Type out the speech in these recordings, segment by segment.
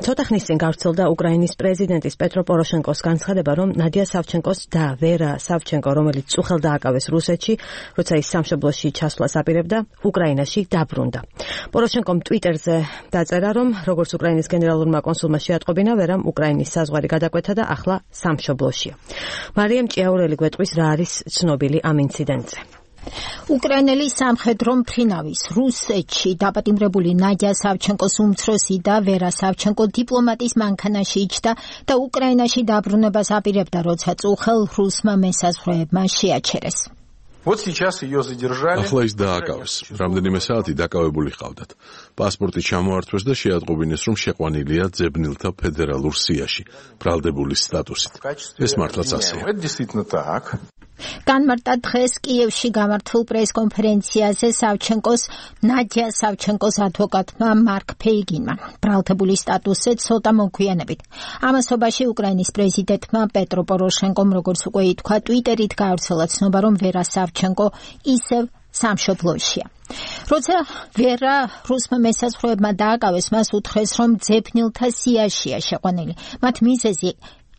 ცოტა ხნის წინ გავრცელდა უკრაინის პრეზიდენტის პეტრო პოროშენკოს განცხადება, რომ ნადია სავჩენკოს და ვერა სავჩენკო, რომელიც წუხელ დააკავეს რუსეთში, როცა ის სამშობლოში ჩასვლას აპირებდა, უკრაინაში დაბრუნდა. პოროშენკომ ტვიტერზე დაწერა, რომ როგორც უკრაინის გენერალურმა კონსულმა შეატყობინა, ვერამ უკრაინის საზღვარი გადაკვეთა და ახლა სამშობლოშია. მარიამ ჭიაურელი გვეტყვის, რა არის ცნობილი ამ ინციდენტზე. უკრაინელი სამხედრო მფრინავის რუსეთში დაპატიმრებული ნადია სავჩენკოს უმცროსი და ვერა სავჩენკო დიპლომატის მანქანაში იჯდა და უკრაინაში დაბრუნებას აპირებდა, როცა წუხელ რუსმა მესაზღვრეებმა შეაჩერეს. ახლა ის დააკავეს. რამდენიმე საათი დაკავებული ჰყავდათ. პასპორტი ჩამოართვეს და შეატყობინეს, რომ შეყვანილია ძებნილთა ფედერალურ სიაში, ბრალდებულის სტატუსით. ეს მართლაც ასეა. განმარტა დღეს კიევში გამართულ პრესკონფერენციაზე ნადია სავჩენკოს ადვოკატმა მარკ ფეიგინმა, ბრალდებული სტატუსზე ცოტა მოგვიანებით. ამასობაში უკრაინის პრეზიდენტმა პეტრო პოროშენკომ, როგორც უკვე ითქვა, ტვიტერით გაავრცელა ცნობა, რომ ვერა სავჩენკო ისევ სამშობლოშია. როცა ვერა რუსმა მესაზღვრეებმა დააკავეს, მას უთხრეს, რომ ძებნილთა სიაშია შეყვანილი. მათ მიზეზი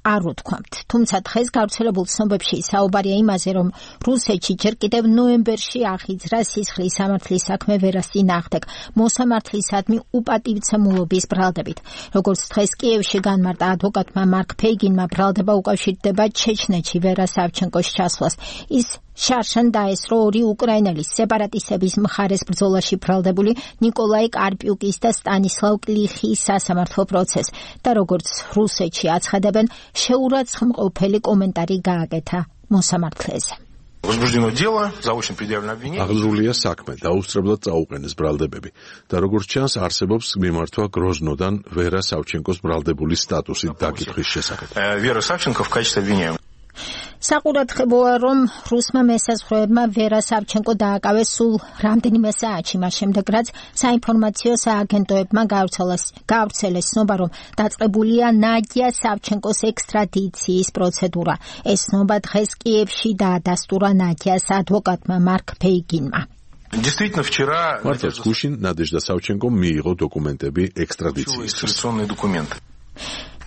არ უთქვამთ. თუმცა დღეს გავრცელებულ ცნობებში საუბარია იმაზე, რომ რუსეთში ჯერ კიდევ ნოემბერში აღიძრა სისხლის სამართლის საქმე ვერას წინააღმდეგ მოსამართლისადმი უპატივცემულობის ბრალდებით. როგორც დღეს კიევში განმარტა ადვოკატმა მარკ ფეიგინმა, ბრალდება უკავშირდება ჩეჩნეთში ვერა სავჩენკოს ჩასვლას. ის შარშან დაესწრო ორი უკრაინელის სეპარატისტების მხარეს ბრძოლაში ბრალდებული ნიკოლაი კარპიუკის და სტანისლავ კლიხის სასამართლო პროცესს და როგორც რუსეთში აცხადებენ, შეურაცხმყოფელი კომენტარი გააკეთა მოსამართლეზე. აღძრულია საქმე, დაუსწრებლად წაუყენეს ბრალდებები და როგორც ჩანს, არსებობს მიმართვა გროზნოდან ვერა სავჩენკოს ბრალდებული სტატუსით დაკითხვის შესახებ. საყურადღებოა, რომ რუსმა მესაზღვრეებმა ვერა სავჩენკო დააკავეს სულ რამდენიმე საათში მას შემდეგ, რაც საინფორმაციო სააგენტოებმა გაავრცელეს ცნობა, რომ დაწყებულია ნადია სავჩენკოს ექსტრადიციის პროცედურა. ეს ცნობა დღეს კიევში დაადასტურა ნადიას ადვოკატმა მარკ ფეიგინმა. მართლაც გუშინ ნადეჟდა სავჩენკომ მიიღო დოკუმენტები ექსტრადიციისთვის.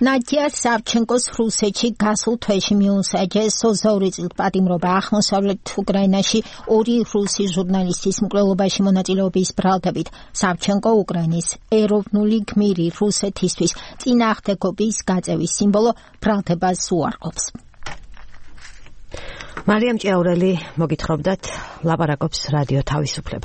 ნადია სავჩენკოს რუსეთში გასულ თვეში მიუსაჯეს 22 წლის პატიმრობა აღმოსავლეთ უკრაინაში ორი რუსი ჟურნალისტის მკვლელობაში მონაწილეობის ბრალდებით. სავჩენკო უკრაინის ეროვნული გმირი რუსეთისთვის წინააღმდეგობის გაწევის სიმბოლო ბრალდებას უარყოფს. მარიამ ჭიაურელი მოგითხრობდათ, ლაპარაკობს რადიო თავისუფლება.